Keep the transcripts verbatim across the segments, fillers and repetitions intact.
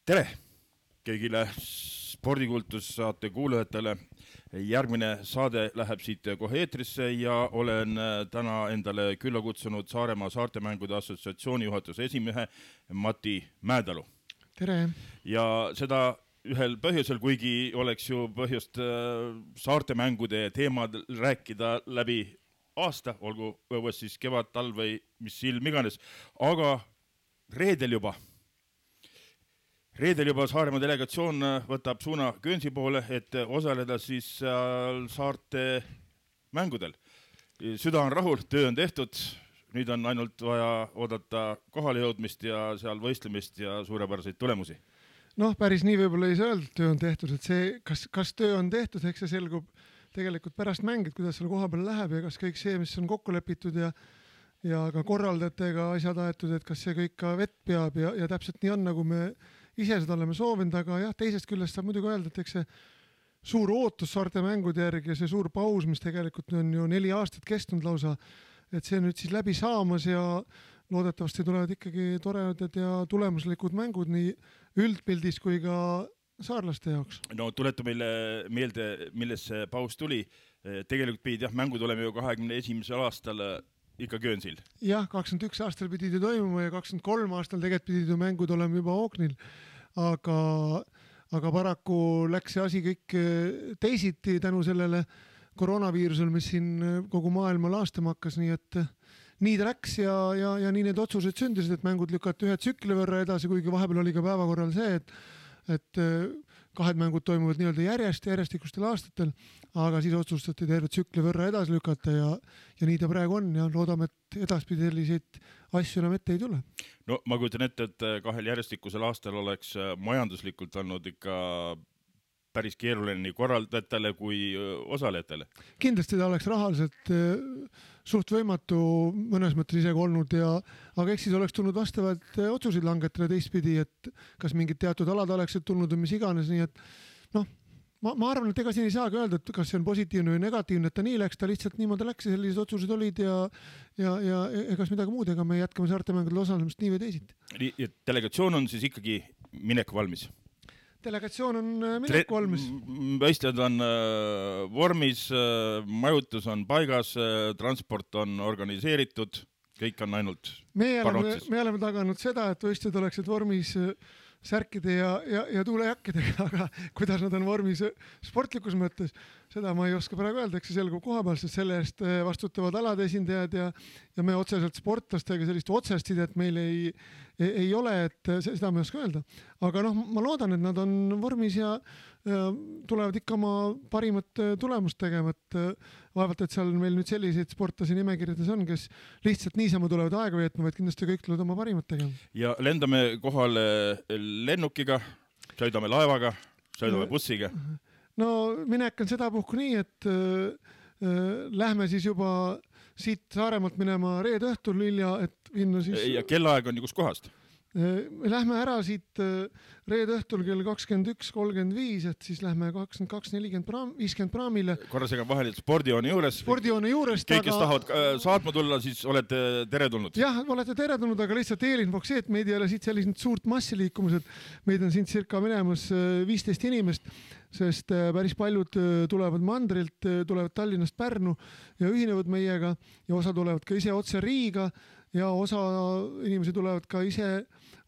Tere kõigile spordikultussaate kuulajatele. Järgmine saade läheb siit kohe eetrisse ja olen täna endale külla kutsunud Saaremaa Saartemängude Assotsiatsiooni juhatuse esimehe Mati Mäedalu. Tere! Ja seda ühel põhjusel, kuigi oleks ju põhjust saartemängude teemad rääkida läbi aasta, olgu õues siis kevad, talv või mis ilm iganes, aga reedel juba Reedel juba Saaremaa delegatsioon võtab suuna Köönsi poole, et osaleda siis saarte mängudel. Süda on rahul, töö on tehtud, nüüd on ainult vaja oodata kohale jõudmist ja seal võistlemist ja suurepäraseid tulemusi. Noh, päris nii võib-olla ei saa öelda, et töö on tehtud, et see, kas, kas töö on tehtud, eks see selgub tegelikult pärast mängid, kuidas selle koha peal läheb ja kas kõik see, mis on kokku lepitud ja, ja ka korraldajatega asjad aetud, et kas see kõik ka vett peab ja, ja täpselt nii on, nagu me ise seda oleme soovinud, aga jah, teisest küljest saab muidugi öelda, et eks see suur ootus saarte mängude järgi ja see suur paus, mis tegelikult on ju neli aastat kestnud lausa, et see nüüd siis läbi saamas ja loodetavasti tulevad ikkagi toredad ja tulemuslikud mängud nii üldpildis kui ka saarlaste jaoks. No tuleta meile meelde, milles see paus tuli. Tegelikult pidid jah, mängud oleme ju kahekümne esimesel aastal ikka Köönsil. Jah, kakskümmend üks aastal pidid ju toimuma ja kakskümmend kolm aastal tegelikult pidid ju mängud olema juba Ooknil, aga, aga paraku läks see asi kõik teisiti tänu sellele koroonaviirusel, mis siin kogu maailma laastama hakkas, nii et nii ta läks ja, ja, ja nii need otsused sündisid, et mängud lükati ühe tsükli võrra edasi, kuigi vahepeal oli ka päevakorral see, et et kahed mängud toimuvad nii-öelda järjest, järjestikustel aastatel, aga siis otsustati terve tsükli võrra edasi lükata ja, ja nii ta praegu on ja loodame, et edaspidi selliseid asju enam ette ei tule. No ma kujutan ette, et kahel järjestikusel aastal oleks majanduslikult olnud ikka päris keeruline nii korraldajatele kui osalejatele. Kindlasti ta oleks rahaliselt suht võimatu mõnes mõttes isegi olnud, ja, aga eks siis oleks tulnud vastavad otsuseid langetada teistpidi, et kas mingid teatud alad oleksid tulnud või mis iganes, nii et noh, ma, ma arvan, et ega siin ei saagi öelda, et kas see on positiivne või negatiivne, et ta nii läks, ta lihtsalt niimoodi läks ja sellised otsused olid ja, ja, ja egas midagi muud, ega me jätkame saartemängudel osalemist nii või teisiti. Nii, delegatsioon on siis ikkagi minek valmis? Delegatsioon on mineku valmis. Võistlejad on vormis, majutus on paigas, transport on organiseeritud, kõik on ainult me oleme, me oleme taganud seda, et võistlejad oleksid vormis särkide ja, ja, ja tuulejakkidega, aga kuidas nad on vormis sportlikus mõttes, seda ma ei oska praegu öelda, eks see selgub koha peal, sest selle eest vastutavad alade esindajad ja, ja me otseselt sportlastega sellist otsest sidet meil ei, ei, ei ole, et seda me ei oska öelda. Aga noh, ma loodan, et nad on vormis ja, ja tulevad ikka oma parimat tulemust tegema, et vaevalt, et seal meil nüüd selliseid sportlasi nimekirjades on, kes lihtsalt niisama tulevad aega veetma, vaid kindlasti kõik tulevad oma parimat tegema. Ja lendame kohale lennukiga, sõidame laevaga, sõidame bussiga. No minek on seda puhku nii, et äh, lähme siis juba siit Saaremaalt minema reede õhtul hilja, et vinna siis... Ja kellaaeg on kus kohast? Me lähme ära siit reede õhtul kell kakskümmend üks kolmkümmend viis, et siis lähme kakskümmend kaks nelikümmend praam, viiskümmend praamile. Korra segan vahel, et spordijoone juures. Spordijoone juures. Kõik, kes aga... tahavad saatma tulla, siis olete teretulnud. Jah, olete teretulnud, aga lihtsalt eelinfoks see, et meid ei ole siit sellised suurt massi liikumused. Meid on siin cirka minemas viisteist inimest, sest päris paljud tulevad mandrilt, tulevad Tallinnast Pärnu ja ühinevad meiega ja osa tulevad ka ise otse Riiga ja osa inimesi tulevad ka ise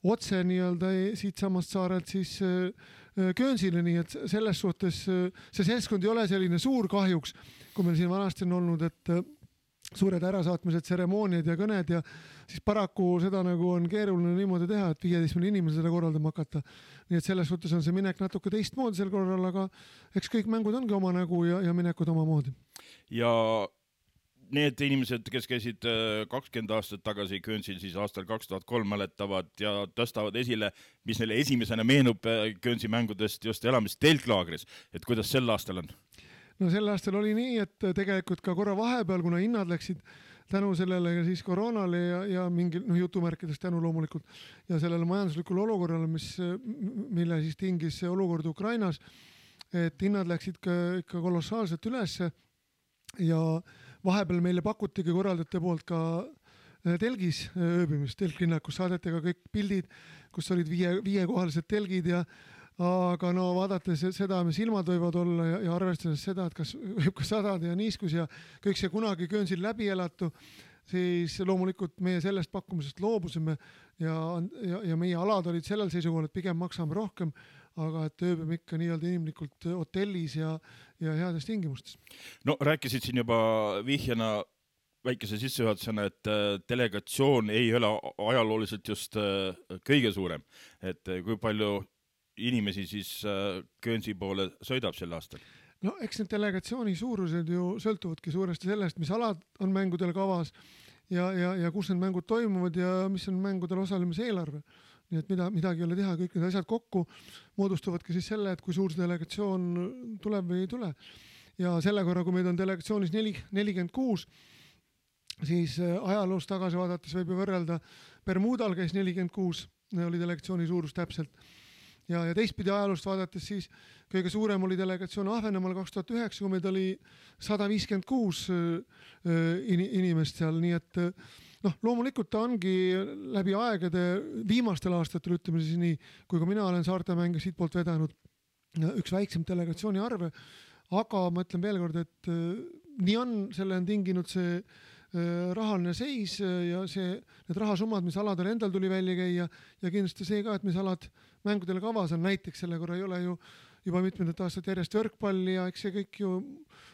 otse nii-öelda siit samast saarelt siis Köönsile, nii et selles suhtes see seltskond ei ole selline suur kahjuks, kui meil siin vanasti on olnud, et suured ärasaatmised, tseremooniad ja kõned ja siis paraku seda nagu on keeruline niimoodi teha, et viieteistkümne inimesel seda korraldama hakata. Nii et selles suhtes on see minek natuke teistmoodi sel korral, aga eks kõik mängud ongi oma nägu ja, ja minekud oma moodi. Ja need inimesed, kes käisid kakskümmend aastat tagasi Köönsil, siis aastal kaks tuhat kolm mäletavad ja tõstavad esile, mis neile esimesena meenub Köönsi mängudest just elamist telklaagris, et kuidas sel aastal on? No sel aastal oli nii, et tegelikult ka korra vahepeal, kuna hinnad läksid tänu sellele siis koroonale ja, ja mingi no, jutumärkidest tänu loomulikult ja sellele majanduslikule olukorrale, mis, mille siis tingis see olukord Ukrainas, et hinnad läksid ka, ikka kolossaalselt ülesse ja vahepeal meile pakutigi korraldajate poolt ka telgis ööbimist, telklinnakus saadeti ka kõik pildid, kus olid viie, viiekohalised telgid ja aga no vaadates seda, mis ilmad võivad olla ja, ja arvestades seda, et kas võib ka sadada ja niiskus ja kõik see kunagi Köönsil läbi elatu, siis loomulikult meie sellest pakkumisest loobusime ja, ja, ja meie alad olid sellel seisukohal, et pigem maksame rohkem, aga et ööbime ikka nii-öelda inimlikult hotellis ja, ja heades tingimustes. No rääkisid siin juba vihjana väikese sissejuhatusena, et delegatsioon ei ole ajalooliselt just kõige suurem, et kui palju inimesi siis Köönsi poole sõidab sel aastal? No eks need delegatsiooni suurused ju sõltuvadki suuresti sellest, mis alad on mängudel kavas ja, ja, ja kus need mängud toimuvad ja mis on mängudel osalemise eelarve. Nii et mida, midagi ei ole teha, kõik need asjad kokku moodustuvadki siis selle, et kui suur see delegatsioon tuleb või ei tule. Ja selle korra, kui meid on delegatsioonis nelikümmend kuus, siis ajaloos tagasi vaadates võib ju võrrelda Bermudal käis nelikümmend kuus, oli delegatsiooni suurus täpselt. Ja, ja teistpidi ajaloost vaadates siis kõige suurem oli delegatsioon Ahvenemaal kaks tuhat üheksa, kui meid oli sada viiskümmend kuus inimest seal, nii et noh, loomulikult ta ongi läbi aegade viimastel aastatel, ütleme siis nii, kui ka mina olen Saartemänge siit poolt vedanud üks väiksem delegatsiooni arve, aga ma ütlen veel kord, et nii on, selle on tinginud see rahaline seis ja see, need rahasummad, mis aladel endal tuli välja käia ja kindlasti see ka, et mis alad mängudele kavas on, näiteks selle korra ei ole ju juba mitmendat aastat järjest võrkpalli ja eks see kõik ju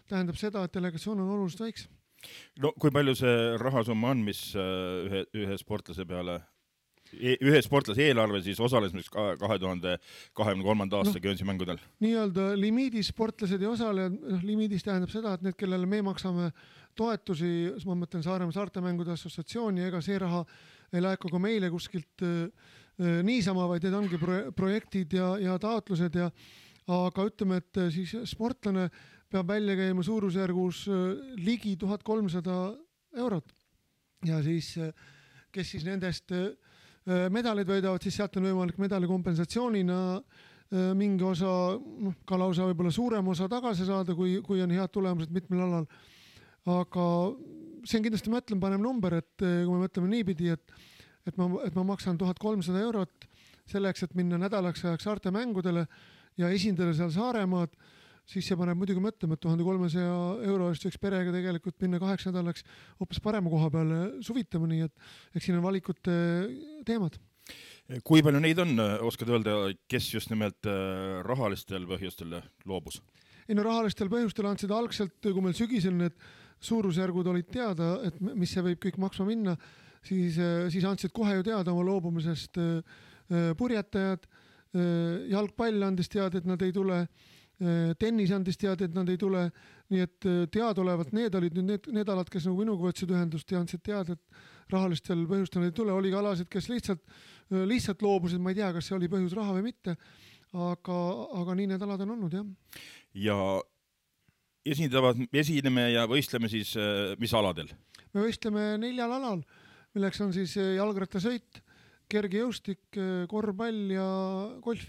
tähendab seda, et delegatsioon on oluliselt väiksem. No kui palju see rahasumma on, mis ühe, ühe sportlase peale, ühe sportlase eelarve siis osales kahe tuhande kahekümne kolmanda aasta no, Köönsi mängudel? Nii-öelda limiidis sportlased ja osalejad, noh, limiidis tähendab seda, et need, kellele me maksame toetusi, ma mõtlen Saaremaa Saartemängude Assotsiatsiooni, ega see raha ei laeku ka meile kuskilt äh, niisama, vaid need ongi pro projektid ja, ja taotlused ja aga ütleme, et siis sportlane peab välja käima suurusjärgus äh, ligi tuhat kolmsada eurot ja siis, äh, kes siis nendest äh, medalid võidavad, siis sealt on võimalik medali kompensatsioonina äh, mingi osa, noh, ka lausa võib-olla suurem osa tagasi saada, kui, kui on head tulemused mitmel alal. Aga see on kindlasti, ma ütlen, panem number, et kui me mõtleme niipidi, et, et, ma, et ma maksan tuhat kolmsada eurot selleks, et minna nädalaks ajaks Saarte mängudele ja esindada seal Saaremaad, siis see paneb muidugi mõtlema, et tuhande kolmesaja euro eest võiks perega tegelikult minna kaheks nädalaks hoopis parema koha peale suvitama, nii et eks siin on valikute teemad. Kui palju neid on, oskad öelda, kes just nimelt rahalistel põhjustel loobus? Ei no rahalistel põhjustel andsid algselt, kui meil sügisel need suurusjärgud olid teada, et mis see võib kõik maksma minna, siis, siis andsid kohe ju teada oma loobumisest purjetajad, jalgpall andis teada, et nad ei tule, tennis andis teada, et nad ei tule, nii et teadolevalt need olid nüüd need, need alad, kes nagu minuga võtsid ühendust ja andsid teada, et rahalistel põhjustel ei tule, oli ka alasid, kes lihtsalt, lihtsalt loobusid, ma ei tea, kas see oli põhjus raha või mitte, aga, aga nii need alad on olnud, jah. Ja esindavad, esineme ja võistleme siis mis aladel? Me võistleme neljal alal, milleks on siis jalgrattasõit, kergejõustik, korvpall ja golf.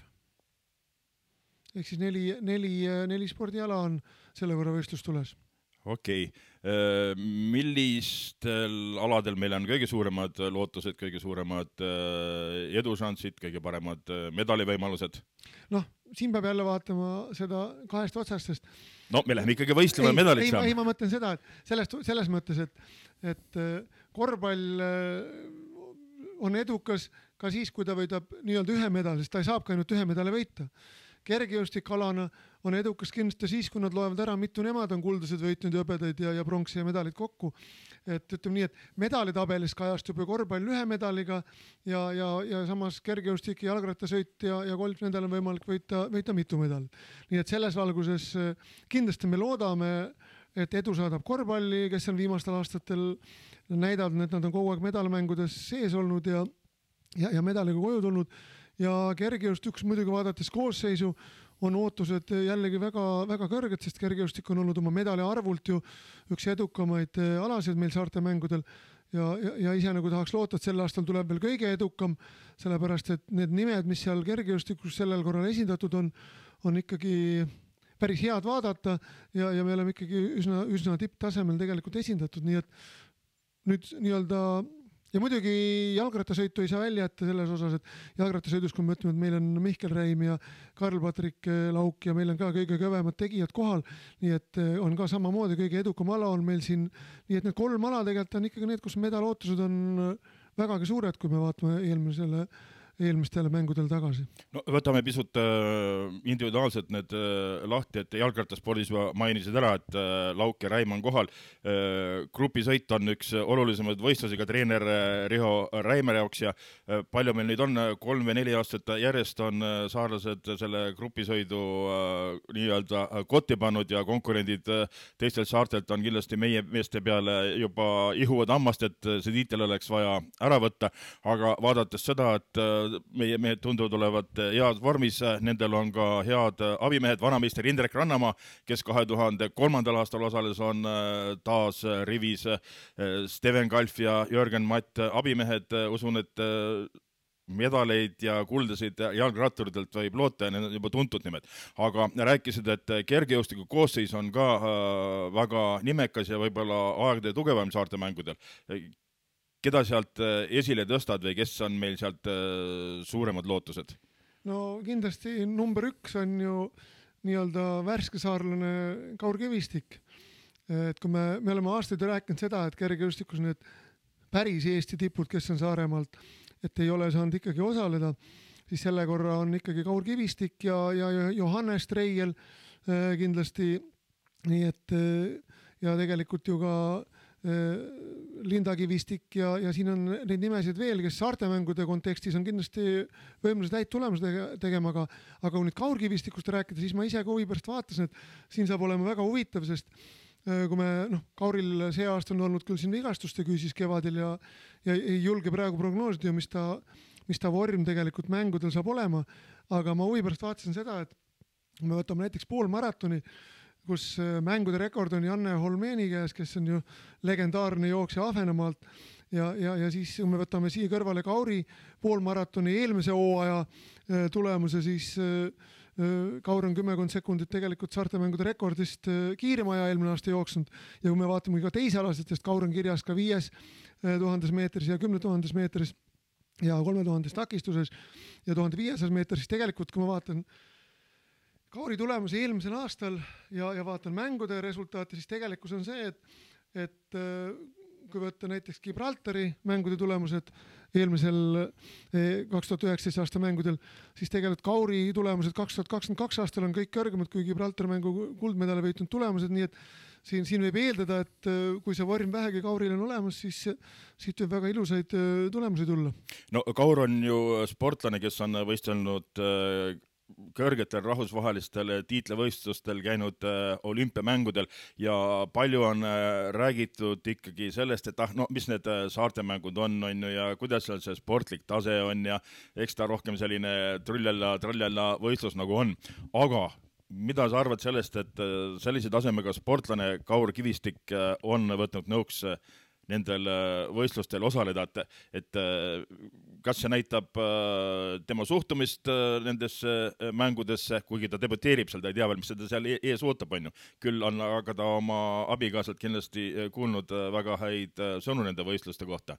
Ehk siis neli, neli, neli spordiala on selle võrra võistlus tules. Okei. Millistel aladel meil on kõige suuremad lootused, kõige suuremad edušansid, kõige paremad medalivõimalused? Noh, siin peab jälle vaatama seda kahest otsastest. No, me läheme ikkagi võistlema medalit saama. Ei, ma mõtlen seda, et sellest, selles mõttes, et, et korvpall on edukas ka siis, kui ta võidab nii-öelda ühe medali, sest ta ei saab ka ainult ühe medali võita. Kergejõustikalana on edukas kindlasti siis, kui nad loevad ära, mitu nemad on kuldased võitnud ja õpedaid ja, ja pronksi ja medalid kokku. Et ütleme nii, et medalitabelis kajastub ju korvpall ühe medaliga ja, ja, ja samas kergejõustik, jalgrattasõit ja, ja golf, nendel on võimalik võita, võita mitu medalit. Nii et selles valguses kindlasti me loodame, et edu saadab korvpalli, kes on viimastel aastatel näidavad, et nad on kogu aeg medalmängudes sees olnud ja, ja, ja medaliga koju tulnud. Ja kergejõustik muidugi vaadates koosseisu on ootused jällegi väga, väga kõrged, sest kergejõustik on olnud oma medali arvult ju üks edukamaid alasid meil Saarte mängudel ja, ja, ja ise nagu tahaks loota, et sel aastal tuleb veel kõige edukam, sellepärast et need nimed, mis seal kergejõustikus sellel korral esindatud on, on ikkagi päris head vaadata ja, ja me oleme ikkagi üsna, üsna tipptasemel tegelikult esindatud, nii et nüüd nii-öelda ja muidugi jalgrattasõitu ei saa välja jätta selles osas, et jalgrattasõidus, kui me ütleme, et meil on Mihkel Räim ja Karl-Patrik Lauk ja meil on ka kõige kõvemad tegijad kohal, nii et on ka samamoodi kõige edukam ala on meil siin, nii et need kolm ala tegelikult on ikkagi need, kus medalootused on vägagi suured, kui me vaatame eelmisele eelmistele mängudel tagasi. No võtame pisut individuaalselt need lahti, et jalgrattaspordis mainisid ära, et Lauk ja Räim on kohal. Grupisõit on üks olulisemad võistlusega treener Riho Räimere jaoks ja palju meil nüüd on, kolm või neli aastat järjest on saarlased selle grupisõidu nii-öelda kotti pannud ja konkurendid teistelt saartelt on kindlasti meie meeste peale juba ihuvad ammast, et see tiitel oleks vaja ära võtta, aga vaadates seda, et meie mehed tunduvad olevat head vormis, nendel on ka head abimehed, vanameister Indrek Rannamaa, kes kahe tuhande kolmandal aastal osales, on taas rivis Steven Kalf ja Jörgen Matt abimehed, usun, et medaleid ja kuldasid jalgratturitelt võib loota ja need on juba tuntud nimed. Aga rääkisid, et kergejõustiku koosseis on ka väga nimekas ja võib-olla aegade tugevam saarte mängudel. Keda sealt esile tõstad või kes on meil sealt suuremad lootused? No kindlasti number üks on ju nii-öelda värske saarlane Kaur Kivistik. Et kui me, me oleme aastaid rääkinud seda, et kergejõustikus need päris Eesti tipud, kes on Saaremaalt, et ei ole saanud ikkagi osaleda, siis selle korra on ikkagi Kaur Kivistik ja, ja Johannes Treiel kindlasti. Nii et ja tegelikult ju ka Linda Kivistik ja, ja siin on neid nimesid veel, kes saartemängude kontekstis on kindlasti võimelised häid tulemused tegema, aga, aga kui nüüd Kaur Kivistikust rääkida, siis ma ise ka huvi pärast vaatasin, et siin saab olema väga huvitav, sest kui me, noh, Kauril see aasta on olnud küll siin vigastuste küüsis kevadel ja, ja ei julge praegu prognoosida, mis ta, mis ta vorm tegelikult mängudel saab olema, aga ma huvi pärast vaatasin seda, et me võtame näiteks poolmaratoni, kus mängude rekord on Janne Holmeni käes, kes on ju legendaarne jooksja Ahvenamaalt ja, ja, ja siis me võtame siia kõrvale Kauri poolmaratoni eelmise hooaja tulemuse, siis Kaur on kümmekond sekundit tegelikult saartemängude rekordist kiirema aja eelmine aasta jooksnud ja kui me vaatame ka teisalaselt, sest Kaur on kirjas ka viies tuhandes meetris ja kümne tuhandes meetris ja kolme tuhandes takistuses ja tuhande viiesajas meetris, siis tegelikult kui ma vaatan Kauri tulemus eelmisel aastal ja, ja vaatan mängude resultaati, siis tegelikkus on see, et, et kui võtta näiteks Gibraltari mängude tulemused eelmisel kaks tuhat üheksateist aasta mängudel, siis tegelikult Kauri tulemused kaks tuhat kakskümmend kaks aastal on kõik kõrgemad kui Gibraltari mängu kuldmedale võitnud tulemused, nii et siin, siin võib eeldada, et kui see vorm vähegi Kauril on olemas, siis siit võib väga ilusaid tulemusi tulla. No Kaur on ju sportlane, kes on võistelnud kõrgetel rahvusvahelistel tiitlevõistlustel käinud olümpiamängudel ja palju on räägitud ikkagi sellest, et ah, no mis need saartemängud on, on ju, ja kuidas seal see sportlik tase on ja eks ta rohkem selline trullella, trallella võistlus nagu on. Aga mida sa arvad sellest, et sellise tasemega sportlane Kaur Kivistik on võtnud nõuks nendel võistlustel osaleda, et, et kas see näitab tema suhtumist nendesse mängudesse, kuigi ta debuteerib seal, ta ei tea veel, mis seda seal ees ootab, on ju. Küll on aga ta oma abikaasalt kindlasti kuulnud väga häid sõnu nende võistluste kohta.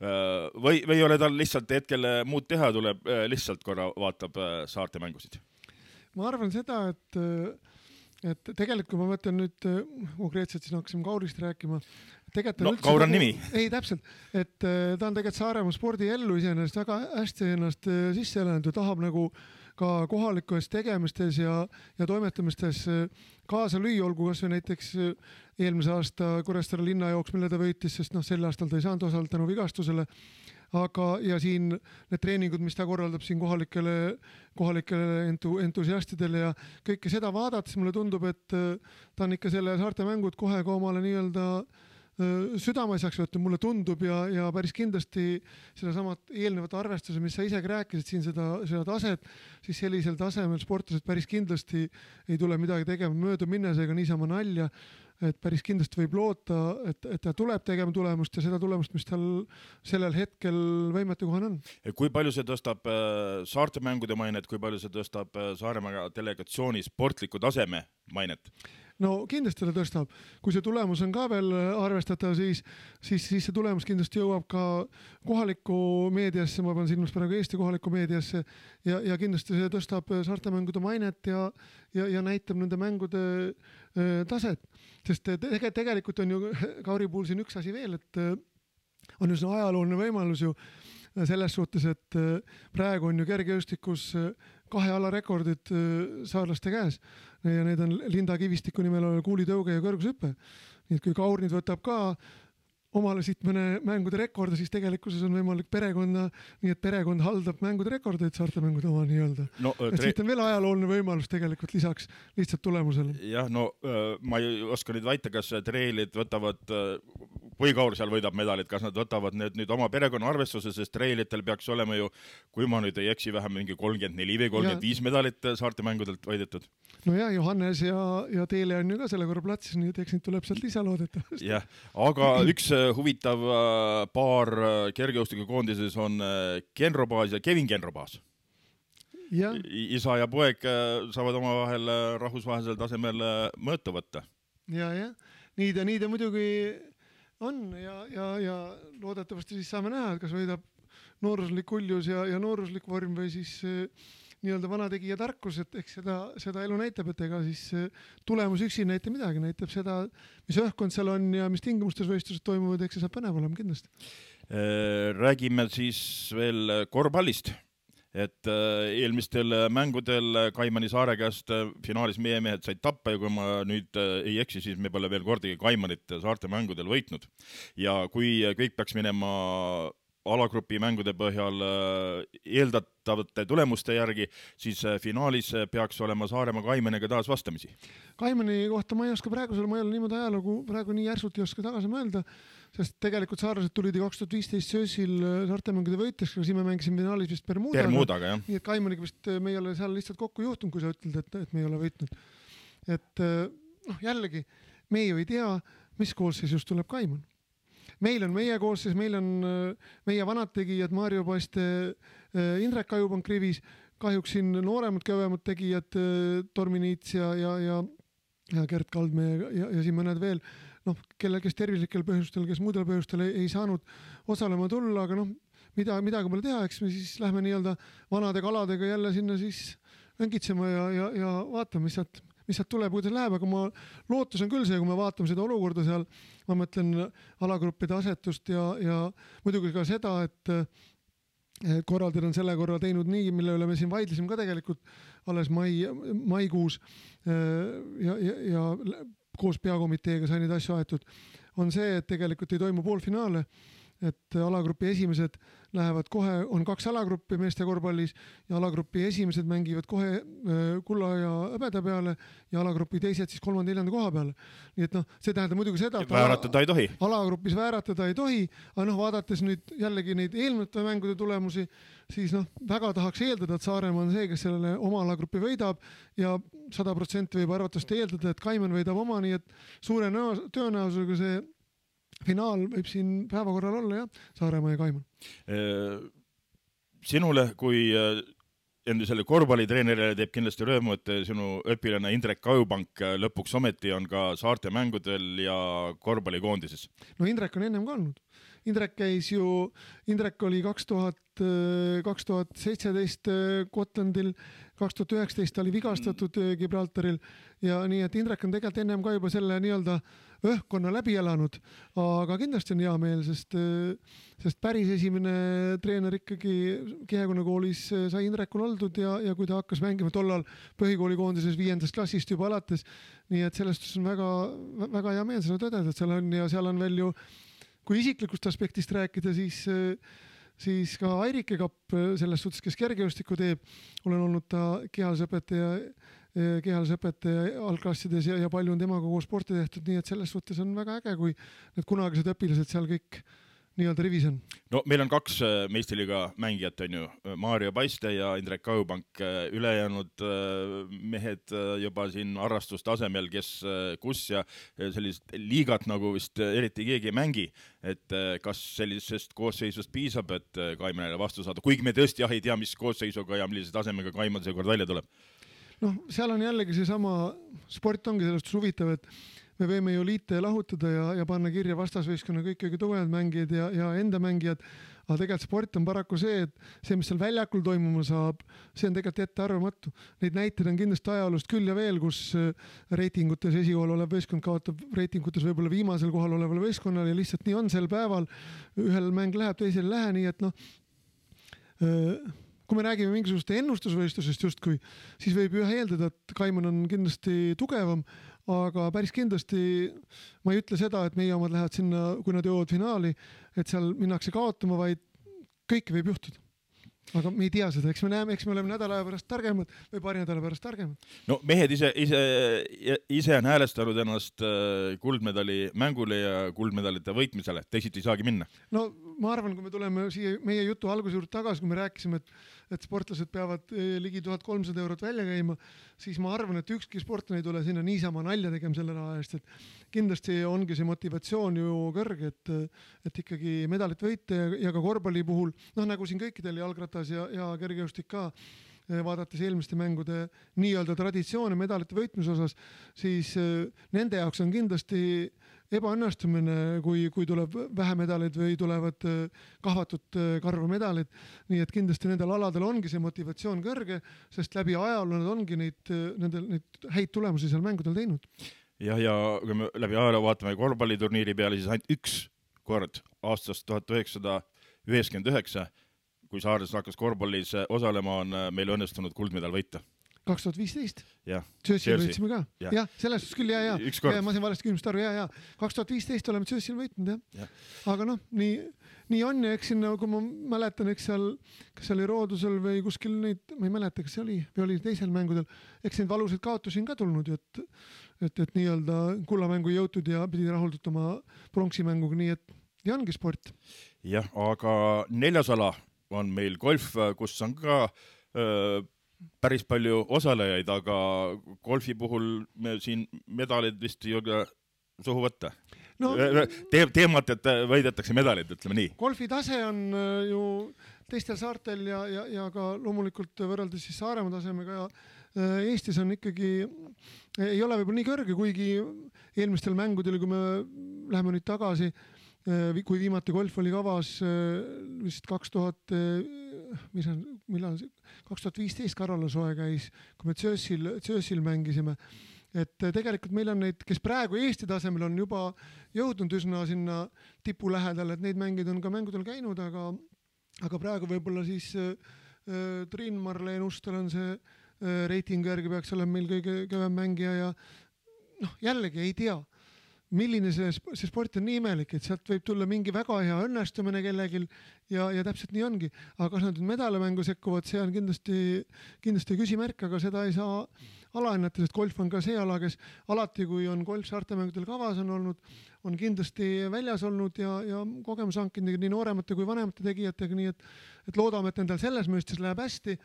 Või, või ei ole tal lihtsalt hetkel muud teha, tuleb lihtsalt korra vaatab saarte mängusid? Ma arvan seda, et et tegelikult kui ma mõtlen nüüd konkreetselt, siis hakkasime Kaurist rääkima. No, Kaur on nimi. Ei, täpselt. Et ta on tegelikult Saaremaa spordi ellu iseenesest väga hästi ennast sisse elanud ja tahab nagu ka kohalikes tegemistes ja, ja toimetamistes kaasa lüüa, olgu kas või näiteks eelmise aasta Kuressaare linnajooks, mille ta võitis, sest noh, sel aastal ta ei saanud osalt tänu vigastusele. Aga ja siin need treeningud, mis ta korraldab siin kohalikele, kohalikele entu, entusiastidele ja kõike seda vaadates mulle tundub, et ta on ikka selle saarte mängud kohe ka omale nii-öelda südameasjaks võtta, mulle tundub ja, ja päris kindlasti seda samat eelnevat arvestuse, mis sa isegi rääkisid siin seda, seda taset, siis sellisel tasemel sportlased päris kindlasti ei tule midagi tegema mööda minnes ega niisama nalja, et päris kindlasti võib loota, et, et ta tuleb tegema tulemust ja seda tulemust, mis tal sellel hetkel võimetekohan on. Kui palju see tõstab saarte mängude mainet, kui palju see tõstab Saaremaa delegatsiooni sportliku taseme mainet? no kindlasti ta tõstab, kui see tulemus on ka veel arvestatav, siis, siis, siis see tulemus kindlasti jõuab ka kohalikku meediasse, ma pean silmas praegu Eesti kohalikku meediasse ja, ja kindlasti see tõstab saarte mängude mainet ja, ja, ja näitab nende mängude äh, taset, sest tege, tegelikult on ju Kauri puhul siin üks asi veel, et äh, on ju see ajalooline võimalus ju selles suhtes, et äh, praegu on ju kergejõustikus äh, kahe ala rekordid saarlaste käes ja need on Linda Kivistiku nimel olev kuulitõuge ja kõrgushüpe. Nii et kui Kaur nüüd võtab ka omale siit mõne mängude rekorda, siis tegelikkuses on võimalik perekonna, nii et perekond haldab mängude rekordeid saarte mängude oma nii-öelda. No, et tre... siit on veel ajalooline võimalus tegelikult lisaks lihtsalt tulemusele. Jah, no ma ei oska nüüd väita, kas treilid võtavad, või Kaur seal võidab medalit, kas nad võtavad need nüüd oma perekonna arvestuse, sest treilitel peaks olema ju, kui ma nüüd ei eksi, vähem mingi kolmkümmend neli või kolmkümmend viis ja... medalit saarte mängudelt võidetud. No ja Johannes ja, ja Teele on ju ka selle korra platsis, nii et eks nüüd tuleb sealt lisa loodetavasti. Jah, aga üks huvitav paar kergejõustikukoondises on Ken Robaas ja Kevin Ken Robaas. Ja. Isa ja poeg saavad oma vahel rahvusvahelisel tasemel mõõta võtta. Ja, ja. Nii ta, nii ta muidugi on ja, ja, ja loodetavasti siis saame näha, et kas võidab nooruslik uljus ja, ja nooruslik vorm või siis nii-öelda vanategija tarkus, et eks seda, seda elu näitab, et ega siis tulemus üksi näita midagi, näitab seda, mis õhkkond seal on ja mis tingimustes võistlused toimuvad, eks see saab põnev olema kindlasti. Räägime siis veel korvpallist, et eelmistel mängudel Kaimani saare käest finaalis meie mehed said tappa ja kui ma nüüd ei eksi, siis me pole veel kordagi Kaimanit saarte mängudel võitnud. Ja kui kõik peaks minema alagrupi mängude põhjal eeldatavate tulemuste järgi, siis finaalis peaks olema Saaremaa Kaimaniga taas vastamisi. Kaimani kohta ma ei oska praegu seal, ma ei ole niimoodi ajalugu praegu nii järsult ei oska tagasi mõelda, sest tegelikult saarlased tulid kaks tuhat viisteist söösil saartemängude võitjaks, aga siin me mängisime finaalis vist Bermudaga. Bermudaga, jah. Nii et Kaimaniga vist me ei ole seal lihtsalt kokku juhtunud, kui sa ütled, et, et me ei ole võitnud. Et noh, jällegi, me ju ei tea, mis koosseisust tuleb Kaiman. Meil on meie koosseis, meil on meie vanad tegijad, Mario Paiste, Indrek Ajupank rivis, kahjuks siin nooremad kõvemad tegijad, Tormi Niits ja, ja, ja, ja Gert Kaldmäe ja, ja siin mõned veel, noh, kelle, kes tervislikel põhjustel, kes muudel põhjustel ei, ei saanud osalema tulla, aga noh, mida, midagi pole teha, eks me siis lähme nii-öelda vanade kaladega jälle sinna siis õngitsema ja, ja, ja vaatame, mis sealt mis sealt tuleb, kuidas läheb, aga ma lootus on küll see, kui me vaatame seda olukorda seal, ma mõtlen alagruppide asetust ja, ja muidugi ka seda, et, et korraldajad on selle korra teinud nii, mille üle me siin vaidlesime ka tegelikult alles mai, maikuus ja, ja, ja koos peakomiteega sai neid asju aetud, on see, et tegelikult ei toimu poolfinaale, et alagrupi esimesed lähevad kohe, on kaks alagruppi meeste korvpallis ja alagrupi esimesed mängivad kohe kulla ja hõbeda peale ja alagrupi teised siis kolmanda neljanda koha peale. Nii et noh, see tähendab muidugi seda, et vääratada ei tohi. Alagrupis vääratada ei tohi, aga noh, vaadates nüüd jällegi neid eelmiste mängude tulemusi, siis noh, väga tahaks eeldada, et Saaremaa on see, kes sellele oma alagrupi võidab ja sada protsenti võib arvatavasti eeldada, et Kaiman võidab oma, nii et suure tõenäosusega see finaal võib siin päevakorral olla, jah, Saaremaa ja Kaiman. Sinule kui endisele korvpallitreenerile teeb kindlasti rõõmu, et sinu õpilane Indrek Ajupank lõpuks ometi on ka saarte mängudel ja korvpallikoondises. No Indrek on ennem ka olnud. Indrek käis ju, Indrek oli kaks tuhat seitseteist Gotlandil, kaks tuhat üheksateist oli vigastatud Gibraltaril ja nii, et Indrek on tegelikult ennem ka juba selle nii-öelda õhkkonna läbi elanud, aga kindlasti on hea meel, sest, sest päris esimene treener ikkagi Kihekonna koolis sai Indrekul oldud ja, ja kui ta hakkas mängima tollal põhikoolikoondises viiendast klassist juba alates, nii et sellest on väga, väga hea meel seda tõdeda, et seal on ja seal on veel ju, kui isiklikust aspektist rääkida, siis siis ka Airike Kapp selles suhtes, kes kergejõustikku teeb, olen olnud ta kehalsõpetaja, kehalsõpetaja algklassides ja, ja palju on temaga koos sporti tehtud, nii et selles suhtes on väga äge, kui need kunagised õpilased seal kõik nii-öelda rivis on. No meil on kaks meistriliiga mängijat, on ju, Mario Paiste ja Indrek Ajupank, ülejäänud mehed juba siin arrastustasemel, kes kus ja sellist liigat nagu vist eriti keegi ei mängi, et kas sellisest koosseisust piisab, et Kaimanile vastu saada, kuigi me tõesti jah ei tea, mis koosseisuga ja millise tasemega Kaiman seekord välja tuleb. noh, seal on jällegi seesama, sport ongi sellest huvitav, et me võime ju liita ja lahutada ja, ja panna kirja vastasvõistkonna kõik kõige tugevad mängijad ja, ja enda mängijad, aga tegelikult sport on paraku see, et see, mis seal väljakul toimuma saab, see on tegelikult ette arvamatu. Neid näiteid on kindlasti ajaloost küll ja veel, kus reitingutes esikohal olev võistkond kaotab reitingutes võib-olla viimasel kohal oleval võistkonnal ja lihtsalt nii on sel päeval, ühel mäng läheb, teisel lähe, nii et noh, kui me räägime mingisugust ennustusvõistlusest justkui, siis võib ju eeldada, et Kaiman on kindlasti tugevam, aga päris kindlasti ma ei ütle seda, et meie omad lähevad sinna, kui nad jõuavad finaali, et seal minnakse kaotama, vaid kõike võib juhtuda. Aga me ei tea seda, eks me näeme, eks me oleme nädala aja pärast targemad või paari nädala pärast targemad. No mehed ise, ise, ise on häälestanud ennast kuldmedali mängule ja kuldmedalite võitmisele, teisiti ei saagi minna. No ma arvan, kui me tuleme siia meie jutu alguse juurde tagasi, kui me rääkisime, et, et sportlased peavad ligi tuhat kolmsada eurot välja käima, siis ma arvan, et ükski sportlane ei tule sinna niisama nalja tegema selle raha eest, et kindlasti ongi see motivatsioon ju kõrge, et, et ikkagi medalit võita ja, ja ka korvpalli puhul, noh nagu siin kõikidel jalgratas ja, ja kergejõustik ka, vaadates eelmiste mängude nii-öelda traditsioone medalite võitmise osas, siis nende jaoks on kindlasti ebaõnnestumine, kui, kui tuleb vähe medaleid või tulevad kahvatud karva medalid. Nii et kindlasti nendel aladel ongi see motivatsioon kõrge, sest läbi ajaloo nad ongi neid, nendel, neid häid tulemusi seal mängudel teinud. Ja, ja kui me läbi ajaloo vaatame korvpalliturniiri peale, siis ainult üks kord aastast tuhat üheksasada üheksakümmend üheksa, kui Saardes hakkas korvpallis osalema, on meil õnnestunud kuldmedal võita. kaks tuhat viisteist Ja, Tšössil võitsime ka. Ja, ja selles suhtes küll, ja, ja. ja. Ma sain valesti küsimust aru, ja, ja. kaks tuhat viisteist oleme Tšössil võitnud, jah. Ja. Aga noh, nii, nii on ja eks sinna, kui ma mäletan, eks seal, kas seal oli Roodusel või kuskil neid, ma ei mäleta, kas see oli, või oli teisel mängudel, eks neid valusid kaotusi on ka tulnud, et, et, et nii-öelda kullamängu ei jõutud ja pidi rahuldutama pronksimänguga, nii et ja ongi sport. Jah, aga neljas ala on meil golf, kus on ka öö, päris palju osalejaid, aga golfi puhul me siin medalid vist ei ole suhu võtta. No, Te, teemat, et võidetakse medalid, ütleme nii. Golfi tase on ju teistel saartel ja, ja, ja ka loomulikult võrreldes siis Saaremaa tasemega ja Eestis on ikkagi, ei ole võib-olla nii kõrge, kuigi eelmistel mängudel, kui me läheme nüüd tagasi, kui viimati golf oli kavas vist kaks tuhat, mis on, millal kaks tuhat viisteist Karola soe käis, kui me Tšössil, Tšössil mängisime, et tegelikult meil on neid, kes praegu Eesti tasemel on juba jõudnud üsna sinna tipu lähedal, et neid mängid on ka mängudel käinud, aga, aga praegu võib-olla siis äh, Triin Marleen Ustel on see äh, reitingu järgi peaks olema meil kõige kõvem mängija ja noh, jällegi ei tea, milline see, see sport on nii imelik, et sealt võib tulla mingi väga hea õnnestumine kellegil ja, ja täpselt nii ongi. Aga kas nad nüüd medalemängu sekkuvad, see on kindlasti, kindlasti küsimärk, aga seda ei saa alahinnata, sest golf on ka see ala, kes alati, kui on golf saartemängudel kavas on olnud, on kindlasti väljas olnud ja, ja kogemus hankinud nii nooremate kui vanemate tegijatega, nii et, et loodame, et nendel selles mõistes läheb hästi,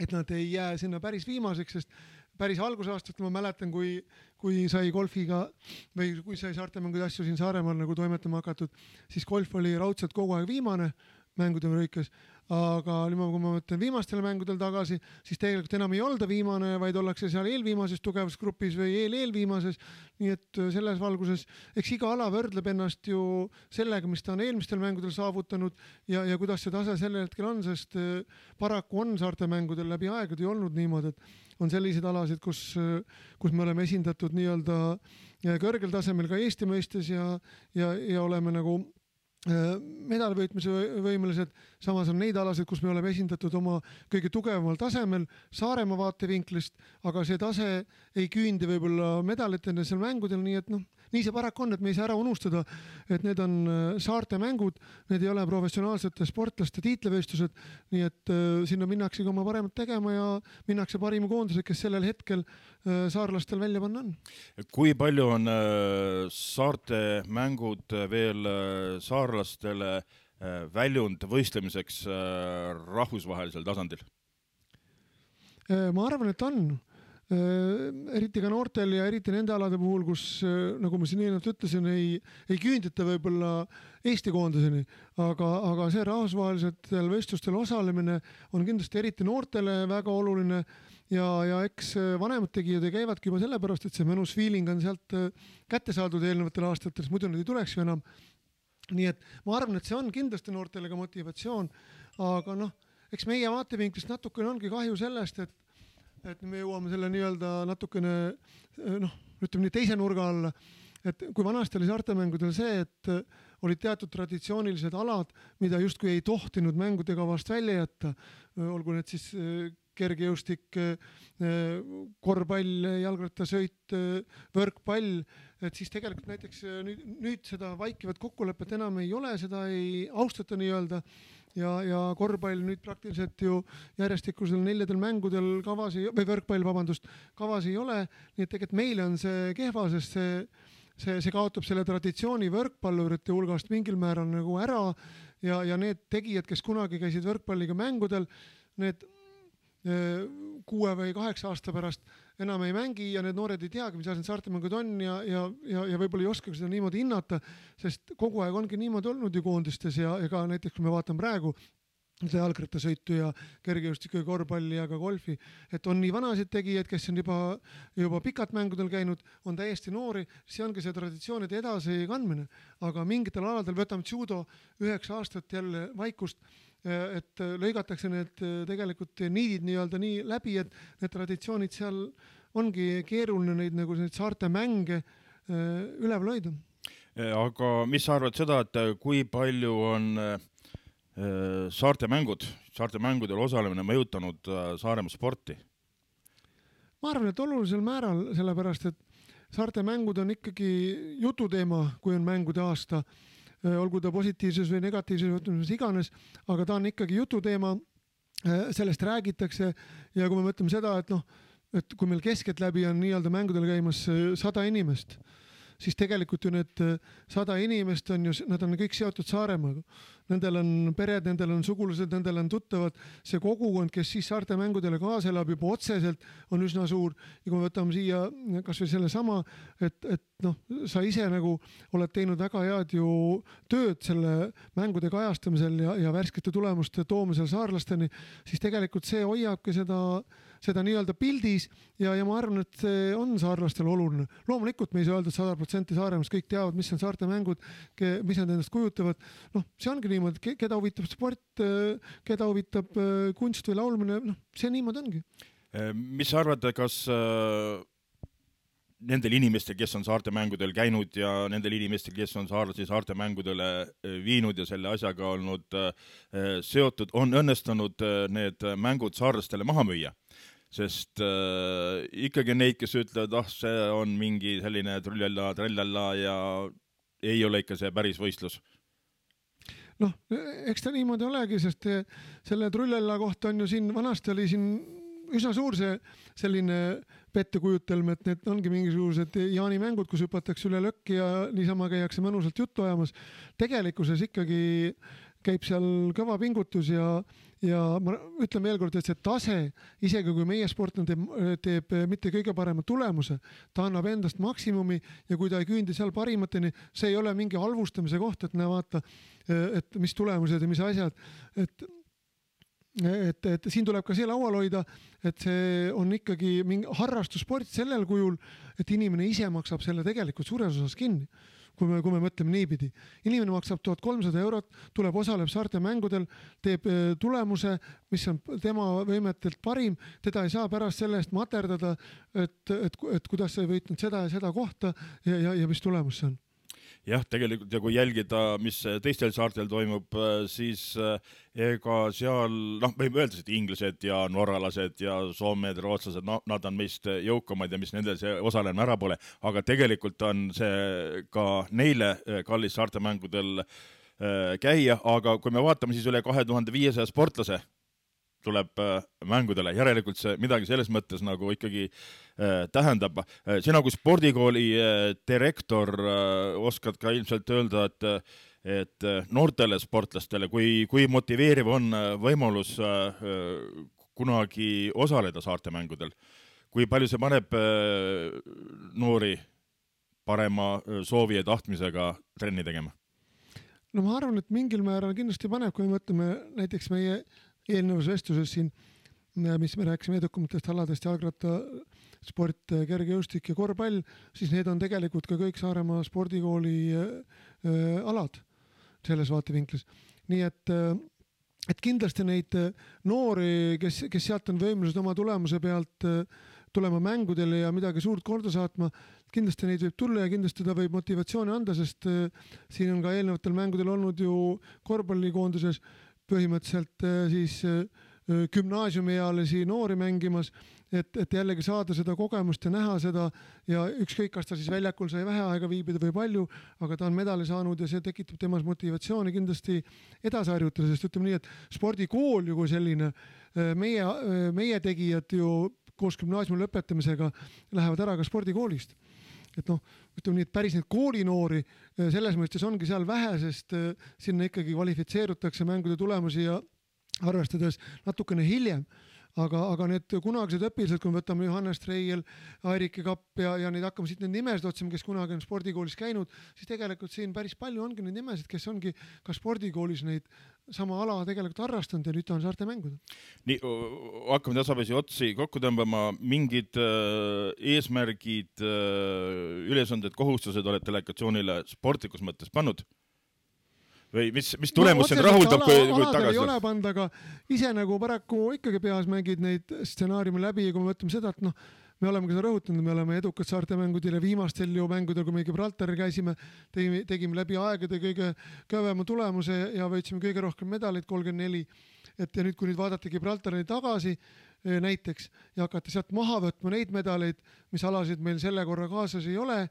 et nad ei jää sinna päris viimaseks, sest päris algusaastast ma mäletan, kui, kui sai golfiga või kui sai saartemängude asju siin Saaremaal nagu toimetama hakatud, siis golf oli raudselt kogu aeg viimane mängude lõikes, aga kui ma mõtlen viimastel mängudel tagasi, siis tegelikult enam ei olda viimane, vaid ollakse seal eelviimases tugevas grupis või eel-eelviimases, nii et selles valguses, eks iga ala võrdleb ennast ju sellega, mis ta on eelmistel mängudel saavutanud ja, ja kuidas see tase sellel hetkel on, sest paraku on saartemängudel läbi aegade olnud niimoodi, et on selliseid alasid, kus, kus me oleme esindatud nii-öelda kõrgel tasemel ka Eesti mõistes ja, ja, ja oleme nagu medalivõitmise võimelised, samas on neid alasid, kus me oleme esindatud oma kõige tugevamal tasemel Saaremaa vaatevinklist, aga see tase ei küündi võib-olla medalitena seal mängudel, nii et noh, nii see paraku on, et me ei saa ära unustada, et need on saarte mängud, need ei ole professionaalsete sportlaste tiitlivõistlused, nii et uh, sinna minnakse oma paremat tegema ja minnakse parima koondused, kes sellel hetkel uh, saarlastel välja panna on. Kui palju on uh, saarte mängud veel uh, saarlastele uh, väljund võistlemiseks uh, rahvusvahelisel tasandil? Uh, ma arvan, et on. eriti ka noortel ja eriti nende alade puhul, kus, nagu ma siin eelnevalt ütlesin, ei, ei küündita võib-olla Eesti koondiseni, aga, aga see rahvusvahelistel vestlustel osalemine on kindlasti eriti noortele väga oluline ja, ja eks vanemad tegijad käivadki juba sellepärast, et see mõnus feeling on sealt kätte saadud eelnevatel aastatel, muidu nad ei tuleks ju enam. Nii et ma arvan, et see on kindlasti noortele ka motivatsioon, aga noh, eks meie vaatevinklist natukene ongi kahju sellest, et et me jõuame selle nii-öelda natukene, noh, ütleme nii teise nurga alla, et kui vanasti oli saartemängudel see, et olid teatud traditsioonilised alad, mida justkui ei tohtinud mängude kavast välja jätta, olgu need siis kergejõustik, korvpall, jalgrattasõit, võrkpall, et siis tegelikult näiteks nüüd, nüüd seda vaikivat kokkulepet enam ei ole, seda ei austata nii-öelda ja, ja korvpall nüüd praktiliselt ju järjestikusel neljadel mängudel kavas ei, või võrkpall, vabandust, kavas ei ole, nii et tegelikult meile on see kehva, sest see, see, see kaotab selle traditsiooni võrkpallurite hulgast mingil määral nagu ära ja, ja need tegijad, kes kunagi käisid võrkpalliga mängudel, need kuue või kaheksa aasta pärast enam ei mängi ja need noored ei teagi, mis asjad saartemängud on ja, ja, ja, ja võib-olla ei oskagi seda niimoodi hinnata, sest kogu aeg ongi niimoodi olnud ju koondistes ja ega näiteks kui me vaatame praegu jalgrattasõitu ja kergejõustiku ja korvpalli ja ka golfi, et on nii vanasid tegijaid, kes on juba, juba pikalt mängudel käinud, on täiesti noori, see ongi see traditsioonide edasi kandmine, aga mingitel aladel võtame judo üheksa aastat jälle vaikust, et lõigatakse need tegelikult niidid nii-öelda nii läbi, et need traditsioonid seal ongi keeruline neid nagu neid saarte mänge üleval hoida. Aga mis sa arvad seda, et kui palju on saarte mängud, saarte mängudel osalemine mõjutanud Saaremaa sporti? Ma arvan, et olulisel määral, sellepärast, et saarte mängud on ikkagi jututeema, kui on mängude aasta, olgu ta positiivses või negatiivses võtmises iganes, aga ta on ikkagi jututeema, sellest räägitakse ja kui me mõtleme seda, et noh, et kui meil keskeltläbi on nii-öelda mängudel käimas sada inimest, siis tegelikult ju need sada inimest on ju, nad on kõik seotud Saaremaaga. Nendel on pered, nendel on sugulased, nendel on tuttavad. See kogukond, kes siis saarte mängudele kaasa elab juba otseselt, on üsna suur. Ja kui me võtame siia kas või selle sama, et, et noh, sa ise nagu oled teinud väga head ju tööd selle mängude kajastamisel ja, ja värskete tulemuste toomisel saarlasteni, siis tegelikult see hoiabki seda seda nii-öelda pildis ja, ja ma arvan, et see on saarlastel oluline. Loomulikult me ei saa öelda, et sada protsenti Saaremaast kõik teavad, mis on saarte mängud, mis nad endast kujutavad. Noh, see ongi niimoodi, keda huvitab sport, keda huvitab kunst või laulmine, noh, see niimoodi ongi. Mis sa arvad, kas nendel inimestel, kes on saarte mängudel käinud ja nendel inimestel, kes on saarlasi saarte mängudele viinud ja selle asjaga olnud seotud, on õnnestunud need mängud saarlastele maha müüa? Sest äh, ikkagi neid, kes ütlevad, ah, see on mingi selline trullella, trellella ja ei ole ikka see päris võistlus. Noh, eks ta niimoodi olegi, sest selle trullella kohta on ju siin, vanasti oli siin üsna suur see selline pettekujutelm, et need ongi mingisugused jaanimängud, kus hüpatakse üle lõkki ja niisama käiakse mõnusalt juttu ajamas. Tegelikkuses ikkagi käib seal kõva pingutus ja, ja ma ütlen veel kord, et see tase, isegi kui meie sportlane teeb, teeb mitte kõige parema tulemuse, ta annab endast maksimumi ja kui ta ei küündi seal parimateni, see ei ole mingi halvustamise koht, et näe vaata, et mis tulemused ja mis asjad, et Et, et siin tuleb ka see laual hoida, et see on ikkagi mingi harrastussport sellel kujul, et inimene ise maksab selle tegelikult suures osas kinni. Kui me, kui me mõtleme niipidi. Inimene maksab tuhat kolmsada eurot, tuleb osaleb saarte mängudel, teeb tulemuse, mis on tema võimetelt parim, teda ei saa pärast selle eest materdada, et, et, et kuidas sa ei võitnud seda ja seda kohta ja, ja, ja mis tulemus see on. Jah, tegelikult ja kui jälgida, mis teistel saartel toimub, siis ega seal, noh, võime öelda, et inglased ja norralased ja soomed, rootslased, no, nad on meist jõukamad ja mis nendel see osalemine ära pole, aga tegelikult on see ka neile kallis saartemängudel käia, aga kui me vaatame siis üle kahe tuhande viiesaja sportlase tuleb mängudele, järelikult see midagi selles mõttes nagu ikkagi äh, tähendab. Sina kui spordikooli äh, direktor äh, oskad ka ilmselt öelda, et, et noortele sportlastele, kui, kui motiveeriv on võimalus äh, kunagi osaleda saarte mängudel. kui palju see paneb noori parema soovi ja tahtmisega trenni tegema? No ma arvan, et mingil määral kindlasti paneb, kui me mõtleme näiteks meie eelnevas vestluses siin, mis me rääkisime edukamatest aladest, jalgratta, sport, kergejõustik ja korvpall, siis need on tegelikult ka kõik Saaremaa spordikooli alad selles vaatevinklis. Nii et, et kindlasti neid noori, kes, kes sealt on võimelised oma tulemuse pealt tulema mängudele ja midagi suurt korda saatma, kindlasti neid võib tulla ja kindlasti ta võib motivatsiooni anda, sest siin on ka eelnevatel mängudel olnud ju korvpallikoonduses põhimõtteliselt siis gümnaasiumiealisi noori mängimas, et, et jällegi saada seda kogemust ja näha seda ja ükskõik, kas ta siis väljakul sai vähe aega viibida või palju, aga ta on medali saanud ja see tekitab temas motivatsiooni kindlasti edasi harjutada, sest ütleme nii, et spordikool ju kui selline, meie, meie tegijad ju koos gümnaasiumi lõpetamisega lähevad ära ka spordikoolist. Et noh, ütleme nii, et päris neid koolinoori selles mõistes ongi seal vähe, sest sinna ikkagi kvalifitseerutakse mängude tulemusi ja arvestades natukene hiljem. Aga, aga need kunagised õpilased, kui me võtame Johannes Treiel, Airike Kapp ja, ja neid hakkame siit need nimesid otsima, kes kunagi on spordikoolis käinud, siis tegelikult siin päris palju ongi neid nimesid, kes ongi ka spordikoolis neid sama ala tegelikult harrastanud ja nüüd on Saarte mängud. Nii, hakkame tasapisi otsi kokku tõmbama. Mingid äh, eesmärgid, äh, ülesanded, kohustused oled delegatsioonile sportlikus mõttes pannud? Või mis, mis tulemus no, see rahuldab, kui, kui tagasi? Ei ole pand, aga ise nagu paraku ikkagi peas mängid neid stsenaariumi läbi ja kui me mõtleme seda, et noh, me oleme ka seda rõhutanud, me oleme edukad Saarte mängudel ja viimastel ju mängudel, kui me Gibraltari käisime, tegime, tegime läbi aegade kõige kõvema tulemuse ja võitsime kõige rohkem medaleid, kolmkümmend neli. Et ja nüüd, kui nüüd vaadata Gibraltari tagasi näiteks ja hakata sealt maha võtma neid medaleid, mis alasid meil selle korra kaasas ei ole,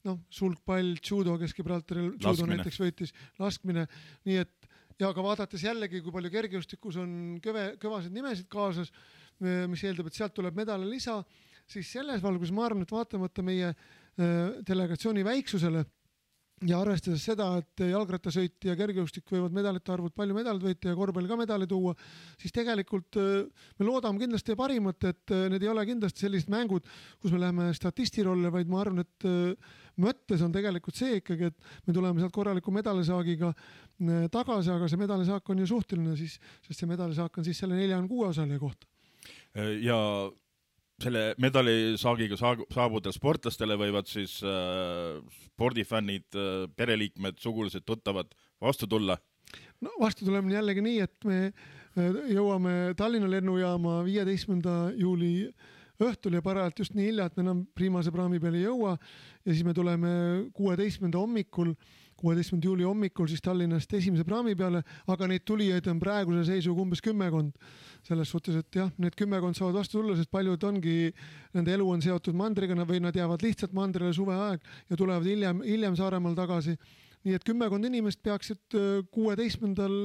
noh, sulgpall, judo, kes Gibraltaril judo näiteks võitis, laskmine, nii et ja ka vaadates jällegi, kui palju kergejõustikus on kõve, kõvasid nimesid kaasas, mis eeldab, et sealt tuleb medale lisa, siis selles valgus ma arvan, et vaatamata meie delegatsiooni väiksusele ja arvestades seda, et jalgrattasõit ja kergejõustik võivad medalite arvud palju medalid võita ja korvpall ka medali tuua, siis tegelikult me loodame kindlasti parimat, et need ei ole kindlasti sellised mängud, kus me läheme statistirolle, vaid ma arvan, et mõttes on tegelikult see ikkagi, et me tuleme sealt korraliku medalisaagiga tagasi, aga see medalisaak on ju suhteline, siis, sest see medalisaak on siis selle neljakümne kuue osalija kohta. Ja selle medalisaagiga saabudel sportlastele võivad siis äh, spordifännid, äh, pereliikmed, sugulased, tuttavad vastu tulla? No vastu tuleme jällegi nii, et me jõuame Tallinna lennujaama viieteistkümnenda juuli õhtul ja parajalt just nii hilja, et me enam Priimase praami peale ei jõua ja siis me tuleme kuueteistkümnenda hommikul kuueteistkümnenda juuli hommikul siis Tallinnast esimese praami peale, aga neid tulijaid on praeguse seisuga umbes kümmekond. Selles suhtes, et jah, need kümmekond saavad vastu tulla, sest paljud ongi, nende elu on seotud mandriga või nad jäävad lihtsalt mandrile suveaeg ja tulevad hiljem, hiljem Saaremaal tagasi. Nii et kümmekond inimest peaksid kuueteistkümnendal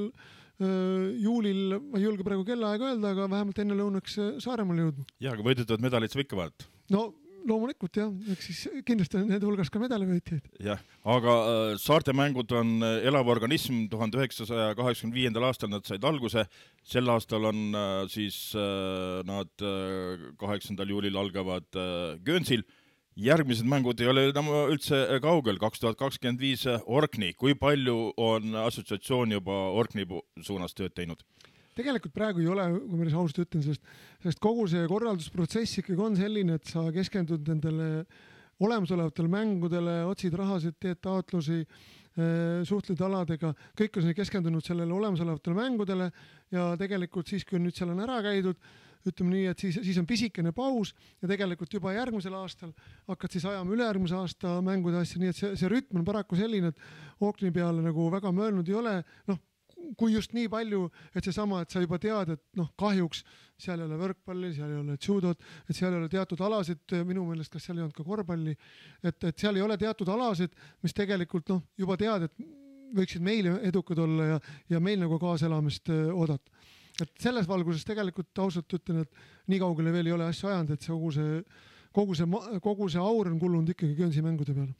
juulil, ma ei julge praegu kellaaega öelda, aga vähemalt enne lõunaks Saaremaal jõudma. Ja, aga võidutavad medalid sa ikka vaat? No loomulikult jah, eks siis kindlasti on need hulgas ka medalivõitjaid. Jah, aga äh, Saarte mängud on elav organism, tuhande üheksasaja kaheksakümne viiendal aastal nad said alguse, sel aastal on äh, siis äh, nad äh, kaheksandal juulil algavad äh, Göönsil. Järgmised mängud ei ole enam üldse kaugel, kaks tuhat kakskümmend viis Orkni. Kui palju on assotsiatsioon juba Orkni suunas tööd teinud? Tegelikult praegu ei ole, kui ma ausalt ütlen, sest, sest kogu see korraldusprotsess ikkagi on selline, et sa keskendud nendele olemasolevatele mängudele, otsid rahasid, teed taotlusi, suhtled aladega, kõik on keskendunud sellele olemasolevatele mängudele ja tegelikult siis, kui nüüd seal on ära käidud, ütleme nii, et siis, siis on pisikene paus ja tegelikult juba järgmisel aastal hakkad siis ajama ülejärgmise aasta mängude asja, nii et see, see rütm on paraku selline, et Ookni peale nagu väga mõelnud ei ole, noh, kui just nii palju, et see sama, et sa juba tead, et noh, kahjuks seal ei ole võrkpalli, seal ei ole judot, et seal ei ole teatud alasid, minu meelest, kas seal ei olnud ka korvpalli, et, et seal ei ole teatud alasid, mis tegelikult noh, juba tead, et võiksid meile edukad olla ja, ja meil nagu kaaselamist oodata. Et selles valguses tegelikult ausalt ütlen, et nii kaugele veel ei ole asja ajanud, et see kogu see Kogu see, kogu see aur on kullunud ikkagi Göönsi mängude peale.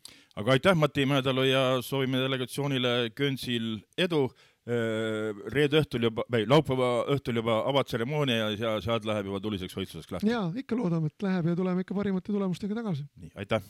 Aga aitäh, Mati Mäedalu ja soovime delegatsioonile Göönsil edu. reede õhtul juba, või laupäeva õhtul juba avatseremoonia ja sealt läheb juba tuliseks võistluseks lahti. Jaa, ikka loodame, et läheb ja tuleme ikka parimate tulemustega tagasi. Nii, aitäh!